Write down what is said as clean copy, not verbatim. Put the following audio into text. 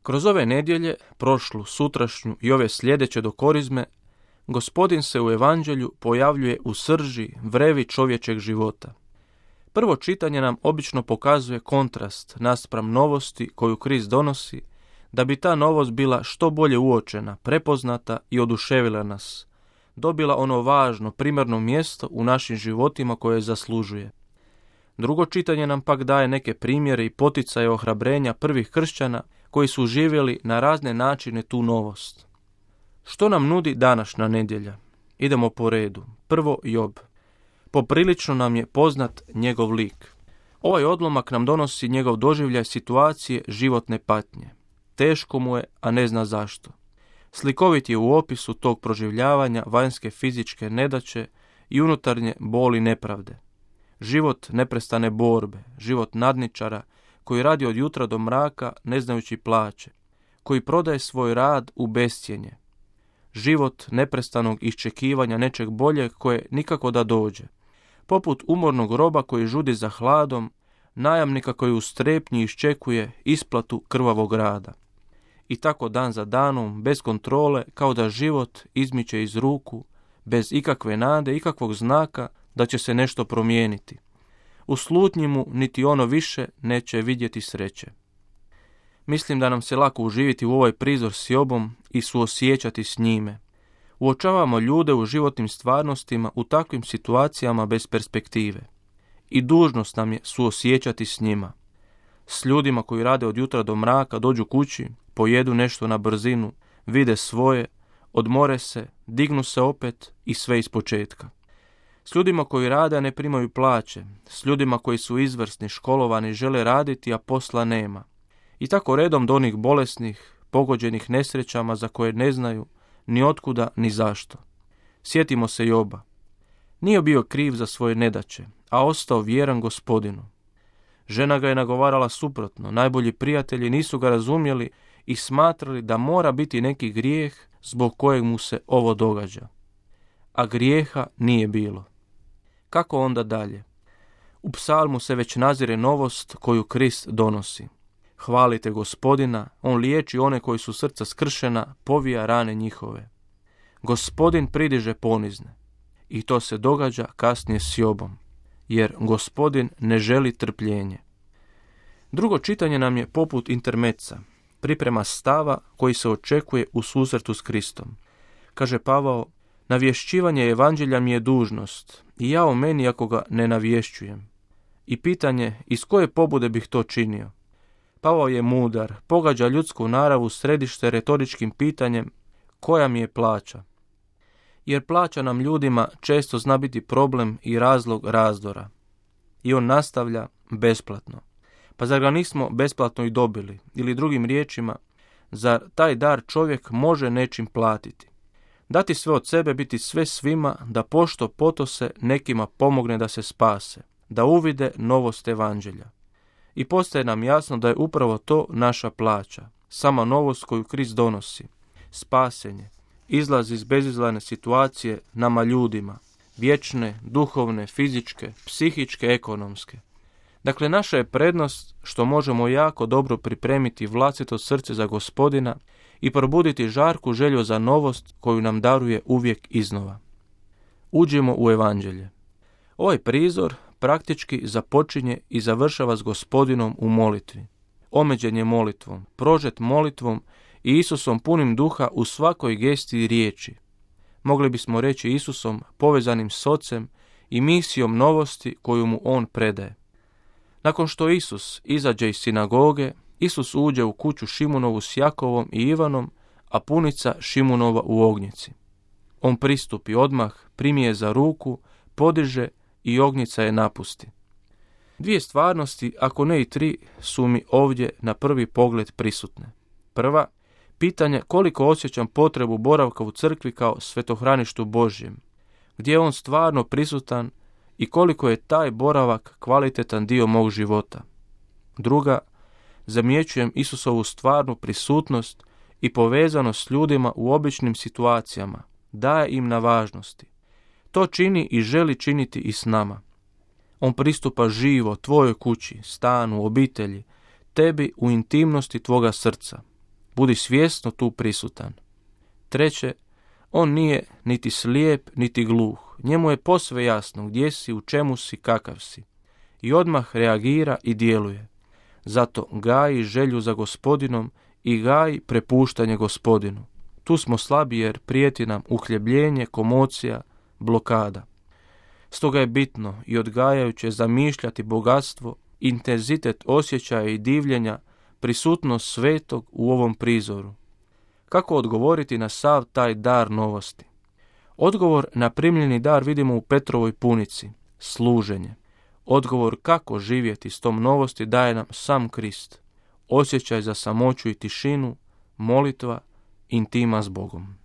Kroz ove nedjelje, prošlu, sutrašnju i ove sljedeće do Korizme, Gospodin se u Evanđelju pojavljuje u srži, vrevi čovječeg života. Prvo čitanje nam obično pokazuje kontrast naspram novosti koju Krist donosi, da bi ta novost bila što bolje uočena, prepoznata i oduševila nas, dobila ono važno, primarno mjesto u našim životima koje zaslužuje. Drugo čitanje nam pak daje neke primjere i poticaje ohrabrenja prvih kršćana koji su živjeli na razne načine tu novost. Što nam nudi današnja nedjelja? Idemo po redu. Prvo, Job. Poprilično nam je poznat njegov lik. Ovaj odlomak nam donosi njegov doživljaj situacije životne patnje. Teško mu je, a ne zna zašto. Slikovit je u opisu tog proživljavanja vanjske fizičke nedaće i unutarnje boli nepravde. Život neprestane borbe, život nadničara koji radi od jutra do mraka ne znajući plaće, koji prodaje svoj rad u bescjenje. Život neprestanog iščekivanja nečeg boljeg koje nikako da dođe. Poput umornog roba koji žudi za hladom, najamnika koji u strepnji iščekuje isplatu krvavog rada. I tako dan za danom, bez kontrole, kao da život izmiče iz ruku, bez ikakve nade, ikakvog znaka da će se nešto promijeniti. U slutnji mu niti ono više neće vidjeti sreće. Mislim da nam se lako uživiti u ovaj prizor s Jobom i suosjećati s njime. Uočavamo ljude u životnim stvarnostima u takvim situacijama bez perspektive. I dužnost nam je suosjećati s njima. S ljudima koji rade od jutra do mraka, dođu kući, pojedu nešto na brzinu, vide svoje, odmore se, dignu se opet i sve ispočetka. S ljudima koji rade, a ne primaju plaće, s ljudima koji su izvrsni, školovani, žele raditi, a posla nema. I tako redom do onih bolesnih, pogođenih nesrećama za koje ne znaju ni otkuda ni zašto. Sjetimo se Joba. Nije bio kriv za svoje nedaće, a ostao vjeran Gospodinu. Žena ga je nagovarala suprotno, najbolji prijatelji nisu ga razumjeli i smatrali da mora biti neki grijeh zbog kojeg mu se ovo događa. A grijeha nije bilo. Kako onda dalje? U psalmu se već nazire novost koju Krist donosi. Hvalite Gospodina, on liječi one koji su srca skršena, povija rane njihove. Gospodin pridiže ponizne. I to se događa kasnije s Jobom, jer Gospodin ne želi trpljenje. Drugo čitanje nam je poput intermeca, priprema stava koji se očekuje u susretu s Kristom. Kaže Pavao, navješćivanje evanđelja mi je dužnost i ja o meni ako ga ne navješćujem. I pitanje, iz koje pobude bih to činio? Pavao je mudar, pogađa ljudsku naravu središte retoričkim pitanjem koja mi je plaća. Jer plaća nam ljudima često zna biti problem i razlog razdora. I on nastavlja besplatno. Pa zar ga nismo besplatno i dobili? Ili drugim riječima, zar taj dar čovjek može nečim platiti? Dati sve od sebe, biti sve svima, da pošto poto se nekima pomogne da se spase, da uvide novost evanđelja. I postaje nam jasno da je upravo to naša plaća, sama novost koju Krist donosi, spasenje, izlaz iz bezizlazne situacije nama ljudima, vječne, duhovne, fizičke, psihičke, ekonomske. Dakle, naša je prednost što možemo jako dobro pripremiti vlastito srce za Gospodina i probuditi žarku želju za novost koju nam daruje uvijek iznova. Uđemo u evanđelje. Ovaj prizor praktički započinje i završava s Gospodinom u molitvi. Omeđen je molitvom, prožet molitvom i Isusom punim duha u svakoj gesti i riječi. Mogli bismo reći Isusom povezanim s Ocem i misijom novosti koju mu on predaje. Nakon što Isus izađe iz sinagoge, Isus uđe u kuću Šimunovu s Jakovom i Ivanom, a punica Šimunova u ognjici. On pristupi odmah, primi je za ruku, podiže i ognjica je napusti. Dvije stvarnosti, ako ne i tri, su mi ovdje na prvi pogled prisutne. Prva, pitanje koliko osjećam potrebu boravka u crkvi kao svetohraništu Božjem, gdje je on stvarno prisutan i koliko je taj boravak kvalitetan dio mog života. Druga, zamjećujem Isusovu stvarnu prisutnost i povezanost s ljudima u običnim situacijama, daje im na važnosti. To čini i želi činiti i s nama. On pristupa živo tvojoj kući, stanu, obitelji, tebi u intimnosti tvoga srca. Budi svjesno tu prisutan. Treće, on nije niti slijep, niti gluh. Njemu je posve jasno gdje si, u čemu si, kakav si. I odmah reagira i djeluje. Zato gaji želju za Gospodinom i gaji prepuštanje Gospodinu. Tu smo slabi jer prijeti nam uhljebljenje, komocija, blokada. Stoga je bitno i odgajajuće zamišljati bogatstvo, intenzitet osjećaja i divljenja, prisutnost svetog u ovom prizoru. Kako odgovoriti na sav taj dar novosti? Odgovor na primljeni dar vidimo u Petrovoj punici, služenje. Odgovor kako živjeti s tom novosti daje nam sam Krist. Osjećaj za samoću i tišinu, molitva, intima s Bogom.